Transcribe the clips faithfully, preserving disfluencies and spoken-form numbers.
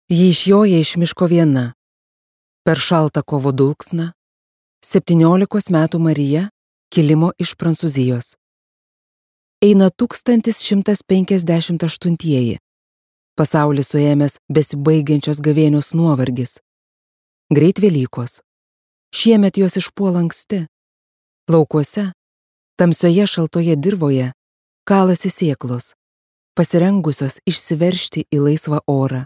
Ji išjoja iš miško viena. Per šaltą kovo dulksną septyniolikos metų Marija kilimo iš Prancūzijos. Eina tūkstantis šimtas penkiasdešimt aštuntieji. Pasaulis suėmęs besibaigiančios gavėnios nuovargis. Greit Velykos. Šiemet jos išpuola anksti. Laukuose, tamsioje šaltoje dirvoje, kalasi sėklos, pasirengusios išsiveržti į laisvą orą.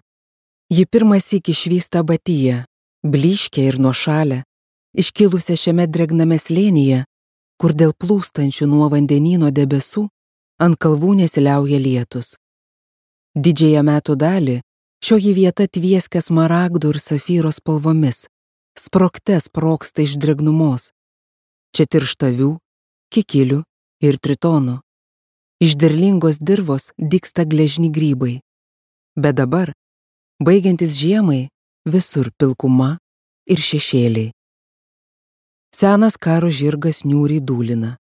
Ji pirmąsyk išvysta Abatiją, blyškę ir nuošalę, iškilusią šiame dregname slėnyje, kur dėl plūstančių nuo vandenyno debesų ant kalvų nesiliauja lietus. Didžiąją metų dalį šioji vieta tvieskia smaragdų ir safyro spalvomis, sprogte sprogsta iš dregnumos. Čia tirštavių, kikilių ir tritonų. Iš derlingos dirvos dygsta gležni grybai. Bet dabar, baigiantis žiemai, visur pilkuma ir šešėliai. Senas karo žirgas niūriai dūlina.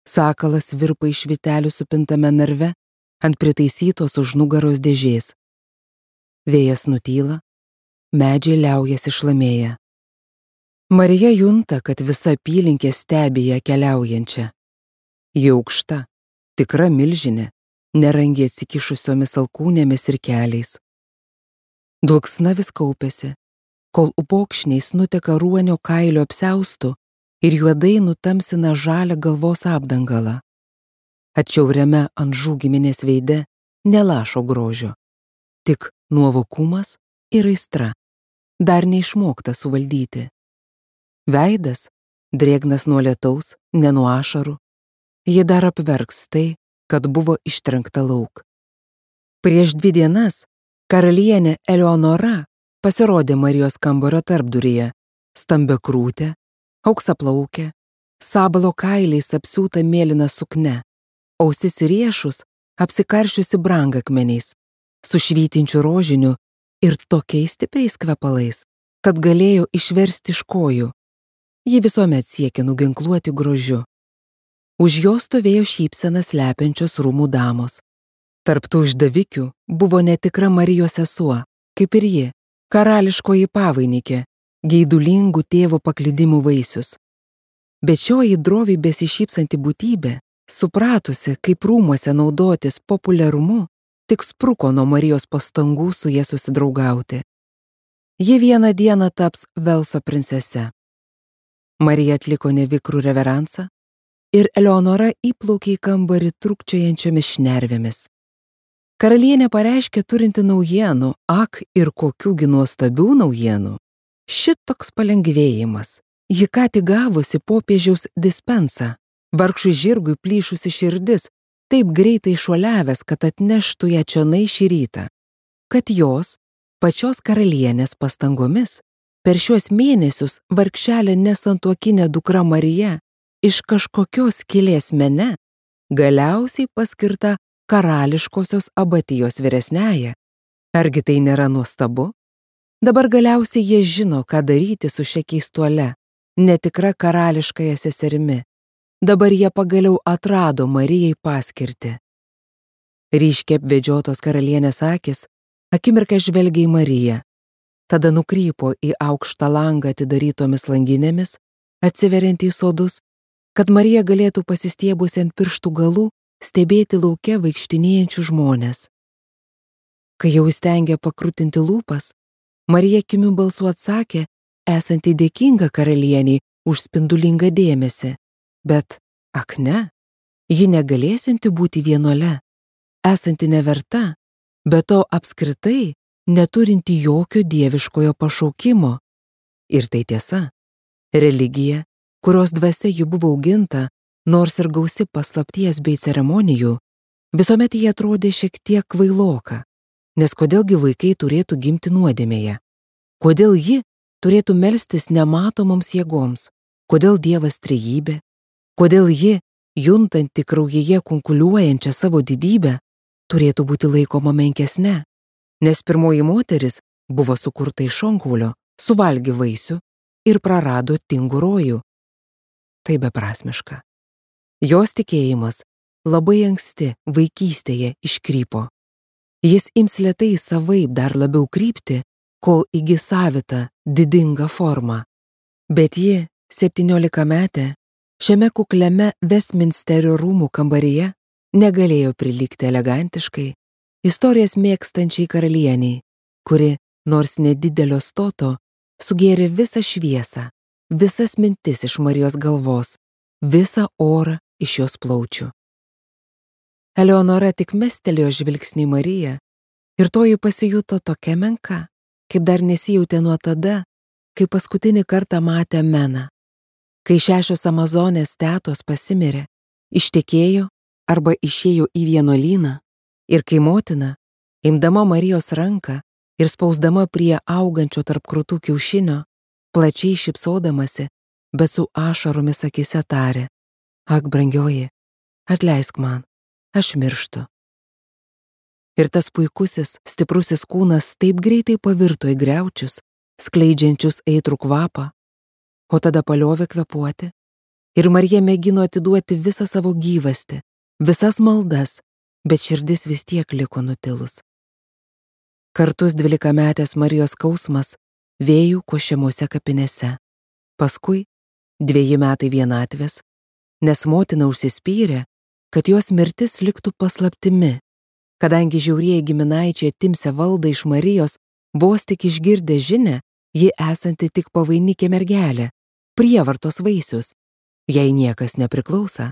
Sakalas virpa iš vitelių supintame narve ant pritaisytos už nugaros dėžės. Vėjas nutyla, medžiai liaujasi šlamėję. Marija junta, kad visa apylinkė stebi ją keliaujančią. Ji aukšta, tikra milžinė, nerangiai atsikišusiomis alkūnėmis ir keliais. Dulksna vis kaupiasi, kol upokšniais nuteka ruonio kailio apsiaustų ir juodai nutamsina žalią galvos apdangalą. Atšiauriame ant žūgiminės veide nelašo grožio, tik nuovokumas ir aistra, dar neišmokta suvaldyti. Veidas, drėgnas nuo lietaus, ne nuo ašarų, ji dar apverks tai, kad buvo ištrenkta lauk. Prieš dvi dienas karalienė Eleonora pasirodė Marijos kambario tarpduryje, stambiakrūtė, auksaplaukė, sabalo kailiais apsiūta mėlyna sukne, ausis ir riešus apsikaršiusi brangakmeniais, su švytinčiu rožiniu ir tokiais stipriais kvepalais, kad galėjo išversti iš kojų. Ji visuomet siekė nuginkluoti grožiu. Už jo stovėjo šypseną slepiančios rūmų damos. Tarp tų išdavikių buvo netikra Marijos sesuo, kaip ir ji, karališkoji pavainikė, geidulingų tėvo paklydimų vaisius. Bet šioji droviai besišypsanti būtybė, supratusi, kaip rūmuose naudotis populiarumu, tik spruko nuo Marijos pastangų su ja susidraugauti. Ji vieną dieną taps Velso princese. Marija atliko nevikrų reveransą ir Eleonora įplaukė į kambarį trūkčiojančiomis šnervėmis. Karalienė pareiškė turinti naujienų, ak ir kokiųgi nuostabių naujienų. Šitoks palengvėjimas. Ji ką tik gavusi popiežiaus dispensą, vargšui žirgui plyšusi širdis, taip greitai šuoliavęs, kad atneštų ją čionai šį rytą. Kad jos, pačios karalienės pastangomis, per šiuos mėnesius vargšelė nesantuokinė dukra Marija iš kažkokios kilės mene galiausiai paskirta karališkosios Abatijos vyresniąja. Argi tai nėra nuostabu? Dabar galiausiai jie žino, ką daryti su šia keistuole, netikra karališkąja seserimi. Dabar jie pagaliau atrado Marijai paskirtį. Ryškiai apvedžiotos karalienės akis akimirką žvelgia į Mariją. Tada nukrypo į aukštą langą atidarytomis langinėmis, atsiveriant į sodus, kad Marija galėtų pasistiebusi ant pirštų galų stebėti lauke vaikštinėjančių žmonės. Kai jau įstengė pakrutinti lūpas, Marija kimiu balsu atsakė, esanti dėkinga karalieniai už spindulingą dėmesį, bet, ak ne, ji negalėsinti būti vienuole, esanti neverta, bet to apskritai neturinti jokio dieviškojo pašaukimo. Ir tai tiesa. Religija, kurios dvasia ji buvo auginta, nors ir gausi paslapties bei ceremonijų, visuomet jie atrodė šiek tiek kvailoka, nes kodėlgi vaikai turėtų gimti nuodėmėje? Kodėl ji turėtų melstis nematomoms jėgoms? Kodėl Dievas trejybė? Kodėl ji, juntanti kraujyje kunkuliuojančią savo didybę, turėtų būti laikoma menkesne? Nes pirmoji moteris buvo sukurta iš šonkaulio, suvalgė vaisių ir prarado tingų rojų. Tai beprasmiška. Jos tikėjimas labai anksti vaikystėje iškrypo. Jis ims lėtai savaip dar labiau krypti, kol įgis savitą, didingą formą. Bet ji, septyniolikametė, šiame kukliame Vestminsterio rūmų kambaryje negalėjo prilygti elegantiškai, istorijas mėgstančiai karalieniai, kuri, nors nedidelio stoto, sugėrė visą šviesą, visas mintis iš Marijos galvos, visą orą iš jos plaučių. Eleonora tik mestelėjo žvilgsnį į Mariją ir toji pasijuto tokia menka, kaip dar nesijautė nuo tada, kai paskutinį kartą matė Meną. Kai šešios amazonės tetos pasimirė, ištekėjo arba išėjo į vienuolyną ir kai motina, imdama Marijos ranką ir spausdama prie augančio tarp krūtų kiaušinio, plačiai šypsodamasi, bet su ašaromis akyse tarė: Ak, brangioji, atleisk man, aš mirštu. Ir tas puikusis, stiprusis kūnas taip greitai pavirto į griaučius, skleidžiančius aitrų kvapą, o tada paliovė kvėpuoti, ir Marija mėgino atiduoti visą savo gyvastį, visas maldas, bet širdis vis tiek liko nutilus. Kartus dvylikametės Marijos skausmas vėjų košiamose kapinėse, paskui dveji metai vienatvės, nes motina užsispyrė, kad jos mirtis liktų paslaptimi, kadangi žiaurieji giminaičiai atimsią valdą iš Marijos, vos tik išgirdę žinią, ji esanti tik pavainikė mergelė, prievartos vaisius, jai niekas nepriklausa.